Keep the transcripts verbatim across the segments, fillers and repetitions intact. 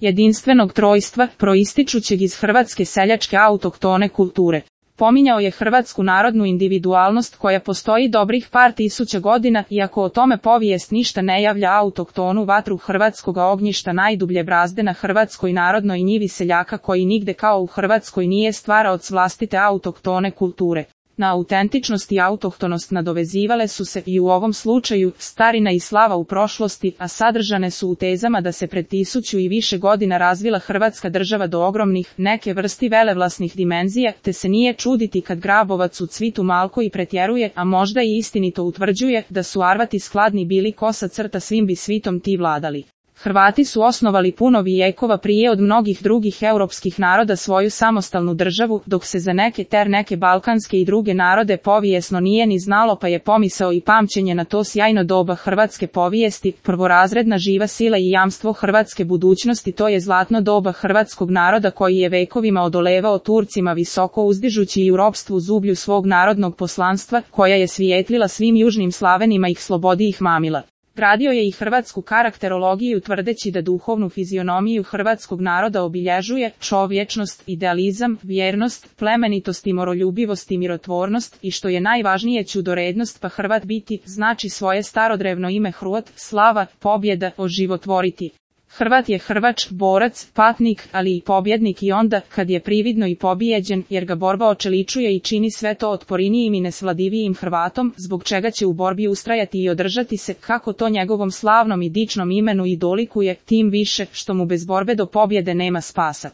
jedinstvenog trojstva, proističućeg iz hrvatske seljačke autohtone kulture. Pominjao je hrvatsku narodnu individualnost koja postoji dobrih par tisuća godina, iako o tome povijest ništa ne javlja, autohtonu vatru hrvatskoga ognjišta, najdublje brazde na hrvatskoj narodnoj njivi seljaka koji nigde kao u Hrvatskoj nije stvaraoc vlastite autohtone kulture. Na autentičnost i autohtonost nadovezivale su se i u ovom slučaju starina i slava u prošlosti, a sadržane su u tezama da se pred tisuću i više godina razvila Hrvatska država do ogromnih, neke vrsti velevlasnih dimenzija, te se nije čuditi kad Grabovac u Cvitu malko i pretjeruje, a možda i istinito utvrđuje, da su Arvati skladni bili kosa crta svim bi svitom ti vladali. Hrvati su osnovali puno vijekova prije od mnogih drugih europskih naroda svoju samostalnu državu, dok se za neke ter neke balkanske i druge narode povijesno nije ni znalo, pa je pomisao i pamćenje na to sjajno doba hrvatske povijesti, prvorazredna živa sila i jamstvo hrvatske budućnosti. To je zlatno doba hrvatskog naroda koji je vekovima odolevao Turcima visoko uzdižući i u ropstvu zublju svog narodnog poslanstva, koja je svijetlila svim južnim Slavenima ih slobodi ih mamila. Gradio je i hrvatsku karakterologiju tvrdeći da duhovnu fizionomiju hrvatskog naroda obilježuje čovječnost, idealizam, vjernost, plemenitost i moroljubivost i mirotvornost, i što je najvažnije ćudorednost, pa Hrvat biti znači svoje starodrevno ime Hrvat, slava, pobjeda, oživotvoriti. Hrvat je Hrvač, borac, patnik, ali i pobjednik i onda, kad je prividno i pobijeđen, jer ga borba očeličuje i čini sve to otporinijim i nesvladivijim Hrvatom, zbog čega će u borbi ustrajati i održati se, kako to njegovom slavnom i dičnom imenu i dolikuje, tim više, što mu bez borbe do pobjede nema spasa.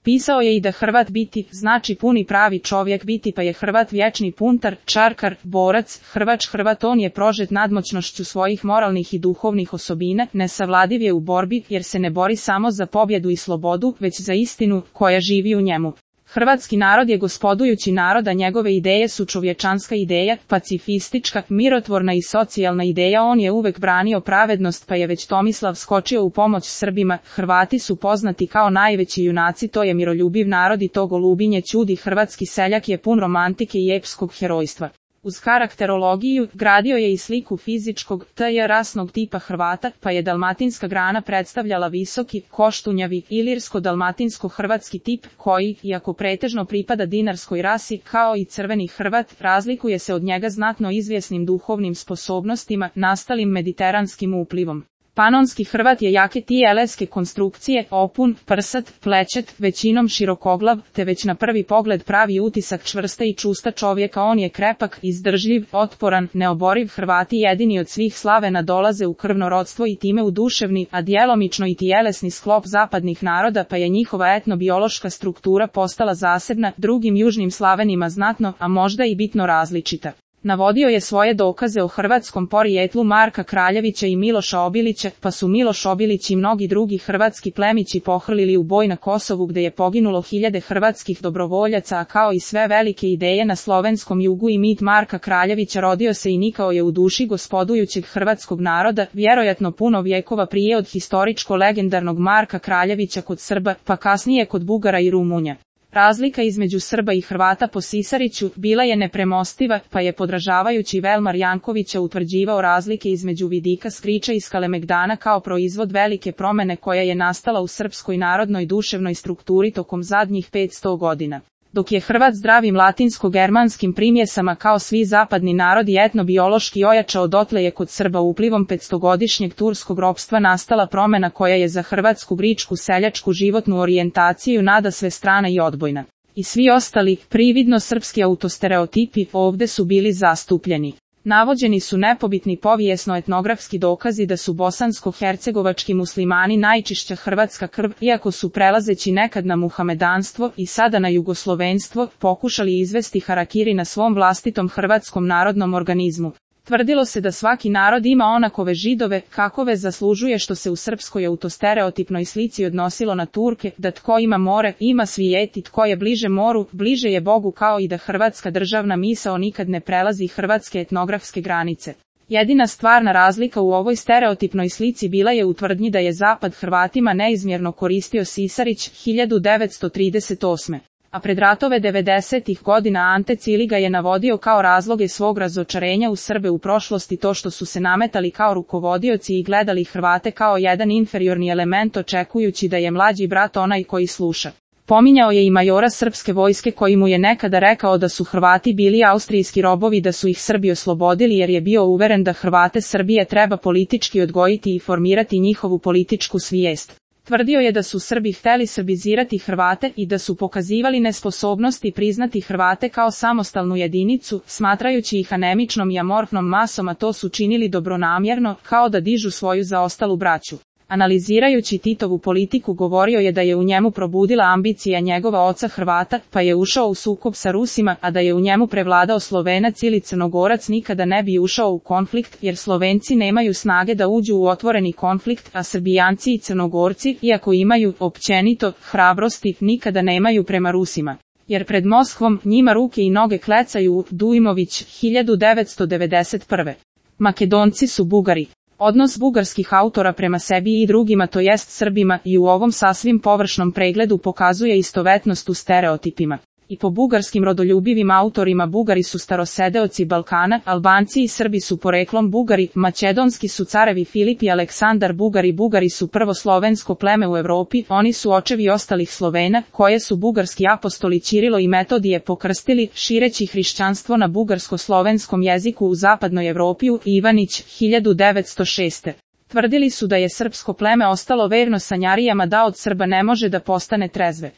Pisao je i da Hrvat biti znači puni pravi čovjek biti, pa je Hrvat vječni puntar, čarkar, borac, Hrvač Hrvat. On je prožet nadmoćnošću svojih moralnih i duhovnih osobina, nesavladiv je u borbi, jer se ne bori samo za pobjedu i slobodu, već za istinu, koja živi u njemu. Hrvatski narod je gospodujući narod, a njegove ideje su čovječanska ideja, pacifistička, mirotvorna i socijalna ideja. On je uvek branio pravednost, pa je već Tomislav skočio u pomoć Srbima. Hrvati su poznati kao najveći junaci, to je miroljubiv narod i to golubinje ćudi. Hrvatski seljak je pun romantike i epskog herojstva. Uz karakterologiju, gradio je i sliku fizičkog, t.j. rasnog tipa Hrvata, pa je dalmatinska grana predstavljala visoki, koštunjavi, ilirsko-dalmatinsko-hrvatski tip, koji, iako pretežno pripada dinarskoj rasi, kao i crveni Hrvat, razlikuje se od njega znatno izvjesnim duhovnim sposobnostima, nastalim mediteranskim uplivom. Panonski Hrvat je jake tijeleske konstrukcije, opun, prsat, plećet, većinom širokoglav, te već na prvi pogled pravi utisak čvrsta i čusta čovjeka. On je krepak, izdržljiv, otporan, neoboriv. Hrvati jedini od svih Slavena dolaze u krvno rodstvo i time u duševni, a djelomično i tijelesni sklop zapadnih naroda, pa je njihova etnobiološka struktura postala zasebna, drugim južnim Slavenima znatno, a možda i bitno različita. Navodio je svoje dokaze o hrvatskom porijetlu Marka Kraljevića i Miloša Obilića, pa su Miloš Obilić i mnogi drugi hrvatski plemići pohrlili u boj na Kosovu, gde je poginulo hiljade hrvatskih dobrovoljaca, a kao i sve velike ideje na slovenskom jugu i mit Marka Kraljevića rodio se i nikao je u duši gospodujućeg hrvatskog naroda, vjerojatno puno vjekova prije od historičko-legendarnog Marka Kraljevića kod Srba, pa kasnije kod Bugara i Rumunja. Razlika između Srba i Hrvata po Sisariću bila je nepremostiva, pa je podražavajući Velmar Jankovića utvrđivao razlike između vidika Skriča i Skalemegdana kao proizvod velike promjene koja je nastala u srpskoj narodnoj duševnoj strukturi tokom zadnjih petsto godina. Dok je Hrvat zdravim latinsko-germanskim primjesama kao svi zapadni narodi etnobiološki ojačao, dotle je kod Srba uplivom petstogodišnjeg turskog ropstva nastala promjena koja je za hrvatsku gričku seljačku životnu orijentaciju nadasve strana i odbojna. I svi ostali, prividno srpski autostereotipi, ovde su bili zastupljeni. Navođeni su nepobitni povijesno-etnografski dokazi da su bosansko-hercegovački muslimani najčišća hrvatska krv, iako su prelazeći nekad na muhamedanstvo i sada na jugoslovenstvo, pokušali izvesti harakiri na svom vlastitom hrvatskom narodnom organizmu. Tvrdilo se da svaki narod ima onakove Židove, kakove zaslužuje, što se u srpskoj autostereotipnoj slici odnosilo na Turke, da tko ima more, ima svijet, i tko je bliže moru, bliže je Bogu, kao i da hrvatska državna misao nikad ne prelazi hrvatske etnografske granice. Jedina stvarna razlika u ovoj stereotipnoj slici bila je u tvrdnji da je Zapad Hrvatima neizmjerno koristio Sisarić hiljadu devetsto trideset osme. A pred ratove devedesetih godina Ante Ciliga je navodio kao razloge svog razočarenja u Srbe u prošlosti to što su se nametali kao rukovodioci i gledali Hrvate kao jedan inferiorni element očekujući da je mlađi brat onaj koji sluša. Pominjao je i majora srpske vojske koji mu je nekada rekao da su Hrvati bili austrijski robovi, da su ih Srbi oslobodili jer je bio uveren da Hrvate Srbije treba politički odgojiti i formirati njihovu političku svijest. Tvrdio je da su Srbi hteli srbizirati Hrvate i da su pokazivali nesposobnost i priznati Hrvate kao samostalnu jedinicu, smatrajući ih anemičnom i amorfnom masom, a to su činili dobronamjerno, kao da dižu svoju zaostalu braću. Analizirajući Titovu politiku govorio je da je u njemu probudila ambicija njegova oca Hrvata, pa je ušao u sukob sa Rusima, a da je u njemu prevladao Slovenac ili Crnogorac nikada ne bi ušao u konflikt, jer Slovenci nemaju snage da uđu u otvoreni konflikt, a Srbijanci i Crnogorci, iako imaju, općenito, hrabrosti, nikada nemaju prema Rusima. Jer pred Moskvom njima ruke i noge klecaju. Dujmović, hiljadu devetsto devedeset prve. Makedonci su Bugari. Odnos bugarskih autora prema sebi i drugima, to jest Srbima, i u ovom sasvim površnom pregledu pokazuje istovetnost u stereotipima. I po bugarskim rodoljubivim autorima Bugari su starosedeoci Balkana, Albanci i Srbi su poreklom Bugari, makedonski su carevi Filip i Aleksandar Bugari, Bugari su prvo slovensko pleme u Evropi, oni su očevi ostalih Slovena, koje su bugarski apostoli Ćirilo i Metodije pokrstili, šireći hrišćanstvo na bugarsko-slovenskom jeziku u zapadnoj Evropi. Ivanić, hiljadu devetsto šeste. Tvrdili su da je srpsko pleme ostalo verno sanjarijama, da od Srba ne može da postane trezve.